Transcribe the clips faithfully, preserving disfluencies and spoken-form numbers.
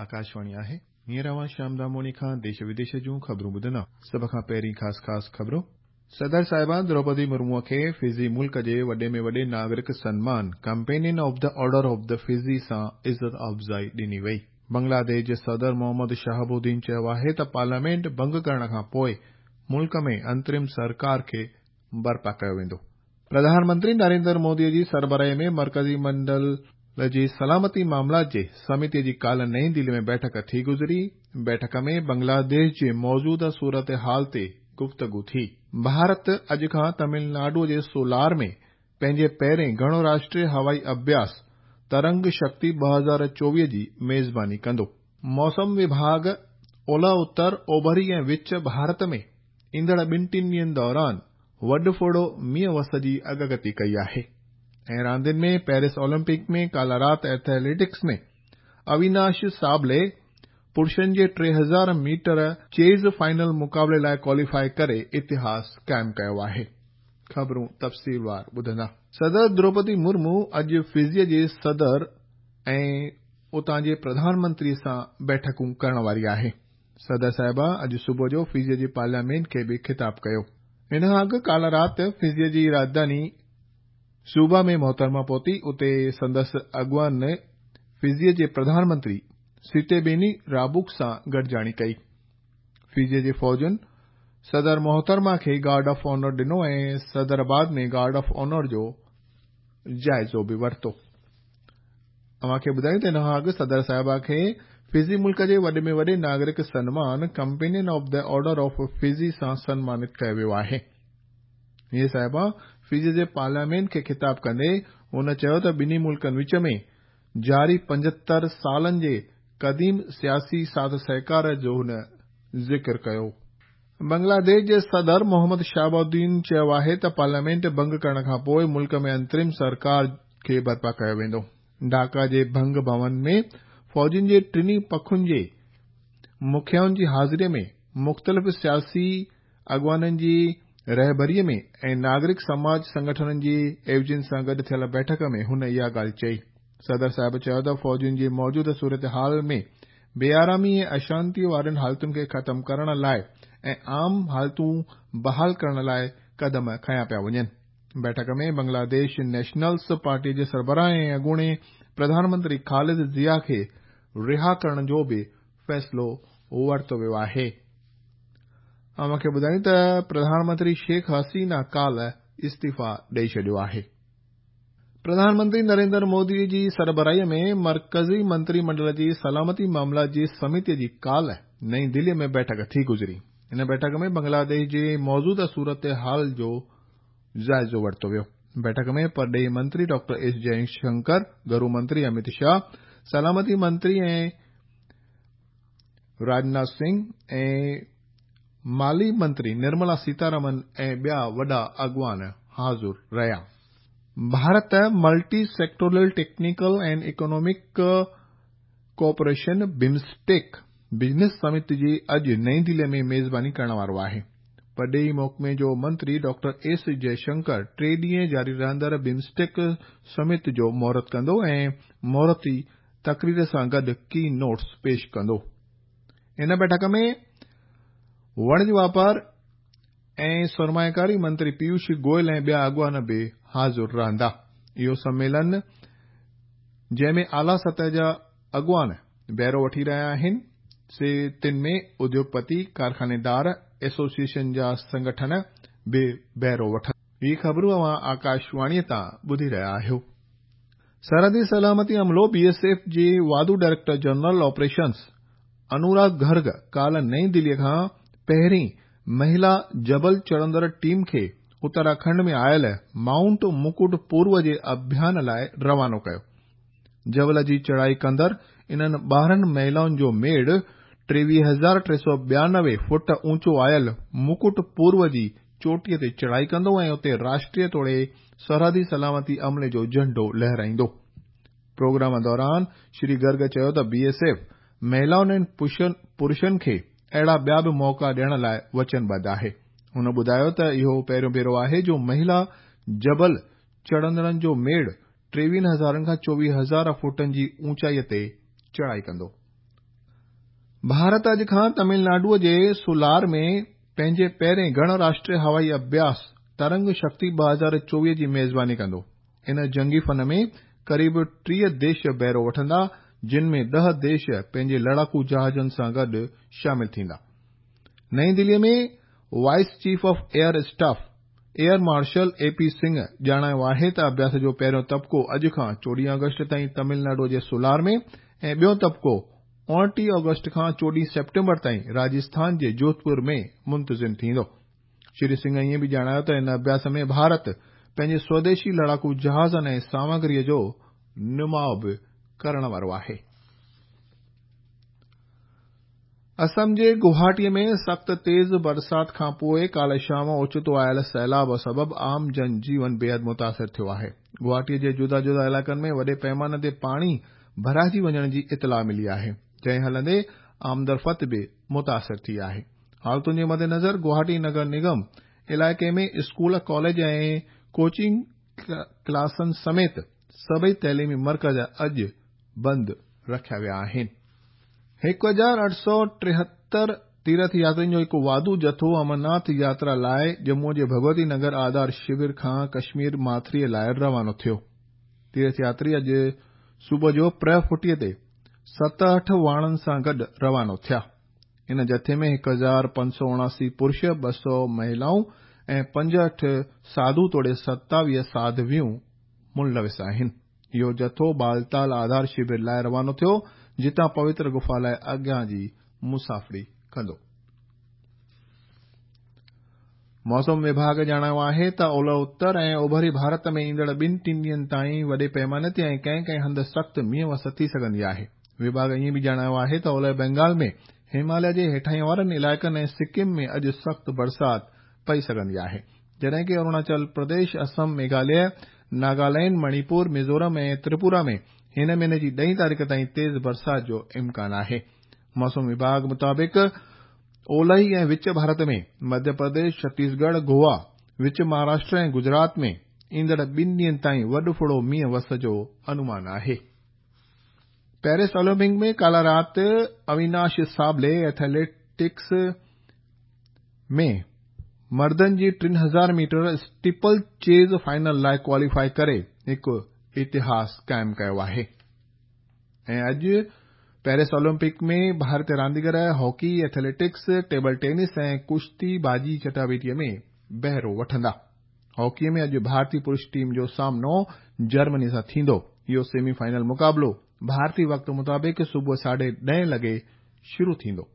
آڪاشواڻي آهي. هينئر اوهان شيام داموڻي کان ديش وديش جون خبرون ٻڌندا. سڀ کان پهرين خاص خاص خبرون. صدر صاحبه دروپدي مرموءَ کي فجي ملڪ جي وڏي ۾ وڏي ناگرڪ سنمان Companion of the Order of the Fiji سان عزت افزائي ڏني وئي. بنگلاديش جي صدر محمد شهاب الدين چيو آهي ته پارليامينٽ ڀنگ ڪرڻ کان پوءِ ملڪ ۾ انترم سرڪار کي برپا ڪيو ويندو. پرڌان منتري نريندر مودي جي سربراهي ۾ مرڪزي منڊل جي سلامتي معاملات جي سمتي جي ڪالهه نئين دلي ۾ بيٺڪ ٿي گذري. بيٺڪ ۾ بنگلاديش جي موجوده صورتحال تي گفتگو ٿي. ڀارت اڄ کان تامل ناڊو جي سولار ۾ پنهنجي پهرين گهڻو راشٽريه هوائي اڀياس ترنگ شڪتي ٻه هزار چوويهه جي ميزباني ڪندو. موسم وڀاڳ اولهه اتر، اوڀري ۽ وچ ڀارت ۾ ايندڙ ٻن ٽن ڏينهن دوران وڏ ڦڙو مينهن وس جي اڳڪٿي ڪئي آهي. ۽ راندين ۾ پيرس اولمپڪ ۾ ڪالهه رات ايٿليٽڪس ۾ اويناش سابلي پرشن جي ٽي هزار ميٽر چيز فائنل مقابلي لاءِ ڪواليفائي ڪري اتهاس قائم ڪيو آهي. خبرون تفصيلوار ٻڌندا. صدر دروپدي مرمو اڄ فجيءَ جي صدر ۽ اتان جي پرڌان منتري سان بيٺڪون ڪرڻ واري آهي. صدر صاحبه اڄ صبح جو فجيءَ جي پارليامينٽ کي به خطاب ڪيو. ان کان اڳ ڪالهه رات فجيءَ جي راڄڌاني سوبا ۾ محترمه پهتي. اتي سندس اڳواڻ فجيءَ جي پرڌان منتري سيٽيبيني رابوڪ سان گڏجاڻي ڪئي. فجيءَ جي فوجن صدر محترمه کي گارڊ آف آنر ڏنو ۽ صدر بعد ۾ گارڊ آف آنر جو جائزو به ورتو. اوهان کي ٻڌايون ته ان کان اڳ صدر صاحبه کي فجي ملڪ جي وڏي ۾ وڏي ناگرڪ سنمان Companion of the Order of Fiji سان سنمانت ڪيو ويو آهي. هيءَ صاحبه فجي جي پارليامينٽ کي خطاب ڪندي هن چيو ته ٻنهي ملڪن وچ ۾ جاري پنجهتر سالن جي قديم سياسي ساٿ سهڪار جو هن ذڪر ڪيو. بنگلاديش جي صدر محمد شهاب الدين چيو آهي ته پارليامينٽ ڀنگ ڪرڻ کان پوءِ ملڪ ۾ انترم سرڪار کي برپا ڪيو ويندو. ڍاڪا جي ڀنگ ڀون ۾ فوجن جي ٽنهي پکن جي مکيائن جي حاضريءَ ۾ مختلف سياسي اڳواڻن جي رهبريءَ ۾ ۽ ناگرڪ سماج سنگٺنن جي عيوضين سان گڏ ٿيل بيٺڪ ۾ هن اها ڳالهه چئي. صدر صاحب چيو ته فوجن جي موجوده صورتحال ۾ بي آرامي ۽ اشانتيءَ وارين حالتن کي ختم ڪرڻ لاءِ ۽ عام حالتون بحال ڪرڻ لاءِ قدم کنيا پيا وڃن. بيٺڪ ۾ بنگلاديش نيشنلسٽ پارٽي جي سربراهه ۽ اڳوڻي پرڌان منتري خالد ضيا کي رها ڪرڻ جو به فيصلو ورتو ويو آهي. اوهان کي ٻڌايون ته پرڌان منتري شيخ حسينه ڪالهه استعيفا ڏئي ڇڏيو آهي. پرڌان منتري نريندر مودي جي سربراهيءَ ۾ مرڪزي منتري منڊل جي سلامتي معاملات جي سمتي جي ڪالهه نئين دليءَ ۾ بيٺڪ ٿي گذري. ان بيٺڪ ۾ بنگلاديش جي موجوده صورتحال جو جائزو ورتو ويو. بيٺڪ ۾ پرڏيهي منتري ڊاڪٽر ايس جئشنڪر، گهرو منتري امت شاهه، سلامتي منتري ۽ راجناٿ سنگهه ۽ مالي منتري نرملا سيتارمن ۽ ٻيا وڏا اڳواڻ حاضر رهيا. Bharat Multi Sectoral Technical and Economic Cooperation BIMSTEC Business Summit جي اڄ نئين دليءَ ۾ ميزباني ڪرڻ وارو آهي. پرڏيهي محڪمي جو منتري ڊاڪٽر ايس جئشنڪر ٽي ڏينهن جاري رهندڙ بمسٽيڪ سمٽ جو مهورت ڪندو ۽ مهورتي تقرير سان گڏ ڪي نوٽس پيش ڪندو. ان بيٺڪ ۾ وڻج واپار ۽ سرمائيڪاري منتري پيوش گويل ۽ ٻيا اڳواڻ به حاضر رهندا. اهو سميلن جنهن ۾ اعليٰ سطح جا اڳواڻ بهرو وٺي رهيا آهن، سي تن ۾ اديوگپتي، ڪارخانيدار، ايسوسيئيشن جا سنگٺن به بهرو وٺن. هي خبرون اوهان آڪاشواڻيءَ تان ٻڌي رهيا آهيو. سرحدي سلامتي عملو بي ايس ايف جي واڌو director general operations Anurag Garg ڪالهه نئين دليءَ کان پهرين مهلا جبل چڙهندڙ ٽيم کي اتراکنڊ ۾ آيل مائونٽ مڪٽ پورو جي اڀيان لاءِ روانو ڪيو. جبل جي چڙهائي ڪندڙ انهن ٻارهن مهلائن جو ميڙ ٽيويهه هزار ٽي سؤ ٻيانوي فوٽ اوچو آيل مڪٽ پورو جي چوٽيءَ تي چڙهائي ڪندو ۽ اتي راشٽريه توڙي سرحدي سلامتي عملي جو جهنڊو لهرائيندو. پروگرام دوران شري گرگ چيو ته بي ايس ايف مهلائن ۽ پرشن کي اهڙا ٻيا به موقعا ڏيڻ لاءِ وچنبڌ آهي. هن ٻڌايو ته اهو پهريون ڀيرو آهي جو مهلا جبل چڙهندڙن جو ميڙ ٽيويهن هزارن کان چوويهه هزار فوٽن جي اوچائيءَ تي چڙهائي ڪندو. ڀارت اڄ کان تامل ناڊوءَ جي سولار ۾ پنهنجي پهرين گڻ راشٽريه هوائي اڀياس ترنگ شڪتي ٻه هزار چوويهه جي ميزباني ڪندو. ان جنگي فن ۾ قريب ٽيهه ديش بهرو وٺندا، جن ۾ ڏهه ديش پنهنجي لڙاڪو جهازن سان گڏ شامل ٿيندا. نئين دليءَ ۾ vice chief of air staff air marshal A P Singh ڄاڻايو آهي ته اڀياس جو پهريون طبقو اڄ کان چوڏهن آگسٽ تائين تامل ناڊوءَ جي سولار ۾ ۽ ٻيو طبقو اڻٽيهه آگسٽ کان چوڏهن سيپٽمبر تائين راجسٿان جي جوڌپور ۾ منتظم ٿيندو. شري سنگهه ائين به ڄاڻايو ته ان اڀياس ۾ ڀارت پنهنجي سوديشي لڙاڪو جهازن ۽ سامگريءَ جو نماءُ به ڪرڻ وارو آهي. اسم جي گوهاٽيءَ ۾ سخت تيز برسات کان پوءِ ڪالهه شام اوچتو آيل سيلاب سبب عام جن جيون بيحد متاثر ٿيو آهي. گوهاٽيءَ جي جدا جدا علائقن ۾ وڏي پيماني تي پاڻي ڀرائجي وڃڻ جي اطلاع ملي آهي، جنهن هلندي آمدرفت به متاثر ٿي آهي. حالتن جي مدنظر گوهاٽي نگر نگم علائقي ۾ اسڪول، ڪاليج ۽ ڪوچنگ ڪلاسن سميت سڀئي تعليمي مرڪز اڄ بند رکيا ويا آهن. هڪ هزار اٺ سؤ ٽيهتر تيرٿ ياترين جو هڪ واڌو جٿو امرناٿ ياترا لاءِ ڄمون جي ڀڳوتي نگر آڌار شور کان ڪشمير ماٿريءَ لاءِ روانو ٿيو. تيرٿ ياتري اڄ صبح جو پرهه ڦٽيءَ تي ستهٺ واڻن سان گڏ روانو ٿيا. ان جٿي ۾ هڪ هزار پنج سؤ اڻاسي پرش، ٻه سؤ مهلائون ۽ پنجهٺ ساڌو توڙي ستاويهه ساڌويون ملوث آهن. اهو جٿو بالتال آڌار شور لاءِ روانو ٿيو، جتان پوتر گفا لاءِ اڳيان جي مسافري ڪندو. موسم وڀاڳ ڄاڻايو آهي ته اولهه اتر ۽ اوڀري ڀارت ۾ ايندڙ ٻن ٽن ڏينهن تائين وڏي پيماني تي ۽ ڪنهن ڪنهن هنڌ سخت مينهن وس ٿي سگهندي آهي. وڀاڳ ائين به ڄاڻايو آهي ته اولهه بينگال ۾ هماليه جي هيٺاهين وارن علائقن ۽ سڪم ۾ اڄ سخت برسات پئي سگهندي آهي، جڏهن ڪه اروناچل پرديش، اسم، ميگهاليه، ناگالينڊ، مڻيپور، ميزورم ۽ تريپورا ۾ هن مهيني جي ڏهين تاريخ تائين تيز برسات جو امڪان آهي. موسم وڀاڳ مطابق اولهي ۽ وچ ڀارت ۾ مڌيه پرديش، ڇتيسڳڙهه، گوا، وچ مهاراشٽر ۽ گجرات ۾ ايندڙ ٻن ڏينهن تائين وڏ ڦڙو مينهن وس جو انومان آهي. پيرس اولمپڪ ۾ ڪالهه رات اويناش سابلي ايٿليٽڪس ۾ مردن جي ٽن هزار ميٽر اسٽيپل چيز فائنل لاءِ ڪواليفائي ڪري هڪ اتهاس قائم ڪيو آهي. ۽ اڄ پيرس اولمپڪ ۾ ڀارتيه رانديگر هاڪي، ايٿليٽڪس، ٽيبل ٽينس ۽ ڪشتي بازي چٽاڀيٽيءَ ۾ بهرو وٺندا. هاڪيءَ ۾ اڄ ڀارتيه پرش ٽيم جو سامنو جرمني سان ٿيندو. اهو سيمي فائنل مقابلو ڀارتي وقت مطابق صبح ساڍي ڏهين لڳي شروع ٿيندو.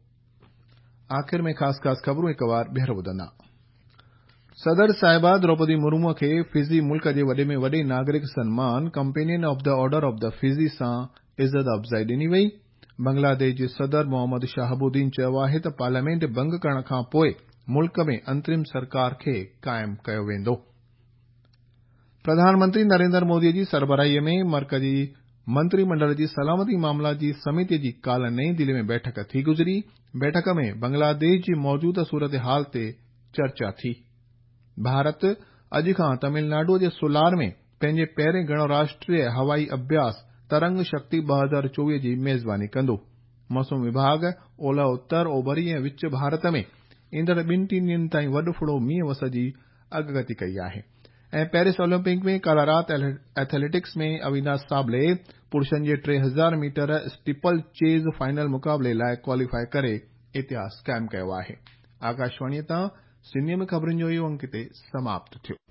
آخر ۾ خاص خاص خبرون هڪ وار ٻيهر ٻڌندا. صدر صاحبه دروپدي مرموءَ کي فجي ملڪ جي وڏي ۾ وڏي ناگرڪ سنمان companion of the order of the Fiji سان عزت افزائي ڏني وئي. بنگلاديش جي صدر محمد شهاب الدين چيو آهي ته پارليامينٽ ڀنگ ڪرڻ کان پوءِ ملڪ ۾ انترم سرڪار کي قائم ڪيو ويندو. پرڌان منتري نريندر موديءَ جي سربراهيءَ ۾ مرڪزي منتري منڊل جي سلامتي معاملا جي سميتيءَ جي ڪالهه نئين دليءَ ۾ بيٺڪ ٿي گذري. بيٺڪ ۾ بنگلاديش جي موجوده صورت حال تي چرچا ٿي. ڀارت اڄ کان تامل ناڊوءَ جي سولار ۾ پنهنجي پهرين گڻ راشٽريه هوائي اڀياس ترنگ شڪتي ٻه هزار چوويهه جي ميزباني ڪندو. موسم وڀاڳ اولهه اتر، اوڀري ۽ وچ ڀارت ۾ ايندڙ ٻن ٽن ڏينهن تائين وڏ ڦڙو مينهن وس جي اڳڪٿي ڪئي آهي. ۽ پيرس اولمپڪ ۾ ڪالهه رات ايٿليٽڪس ۾ اويناش سابلي پرشن جي ٽي هزار ميٽر اسٽيپل چيز فائنل مقابلي لاءِ ڪواليفائي ڪري اتهاس قائم ڪيو آهي. آڪاشواڻيءَ تان سنڌيءَ ۾ خبرن جو اهو انڪ هتي سماپت ٿيو.